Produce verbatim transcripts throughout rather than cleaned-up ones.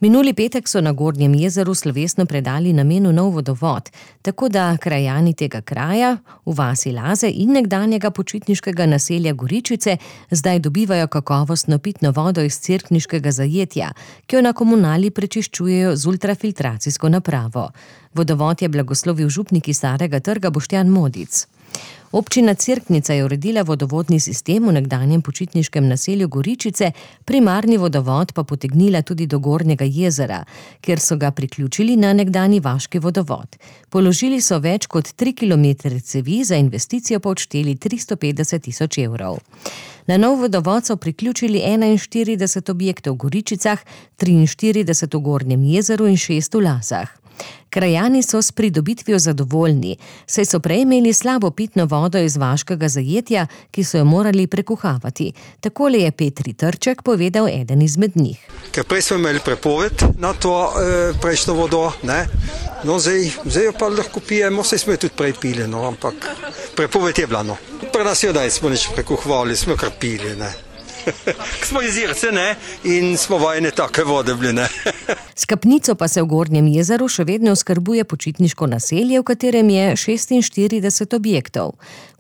Minuli petek so na Gornjem jezeru slovesno predali namenu nov vodovod, tako da krajani tega kraja, v vasi Laze in nekdanjega počitniškega naselja Goričice, zdaj dobivajo kakovostno pitno vodo iz cerkniškega zajetja, ki jo na komunali prečiščujejo z ultrafiltracijsko napravo. Vodovod je blagoslovil župnik iz Starega trga Boštjan Modic. Občina Cerknica je uredila vodovodni sistem v nekdanjem počitniškem naselju Goričice, primarni vodovod pa potegnila tudi do Gornjega jezera, kjer so ga priključili na nekdanji vaški vodovod. Položili so več kot tri kilometre cevi, za investicijo pa odšteli tristo petdeset tisoč evrov. Na nov vodovod so priključili enainštirideset objektov v Goričicah, triinštirideset v Gornjem jezeru in šest v Lazah. Krajani so s pridobitvijo zadovoljni, saj so prej imeli slabo pitno vodo iz vaškega zajetja, ki so jo morali prekuhavati. Takole je Petri Trček povedal eden izmed njih. Ker prej smo imeli prepoved na to e, prejšnjo vodo, ne? No, zdaj, zdaj jo pa lahko pijemo, saj smo jo tudi prej pili, no, ampak prepoved je bila, no. Pri nas jo daj smo nič prekuhavali, smo kar pili, ne. Smo iz Irce, ne, in smo vajeni take vode bili, ne. S kapnico pa se v Gornjem jezeru še vedno oskrbuje počitniško naselje, v katerem je šestinštirideset objektov.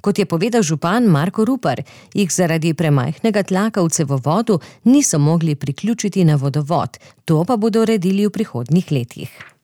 Kot je povedal župan Marko Rupar, jih zaradi premajhnega tlaka v cevovodu niso mogli priključiti na vodovod, to pa bodo uredili v prihodnjih letih.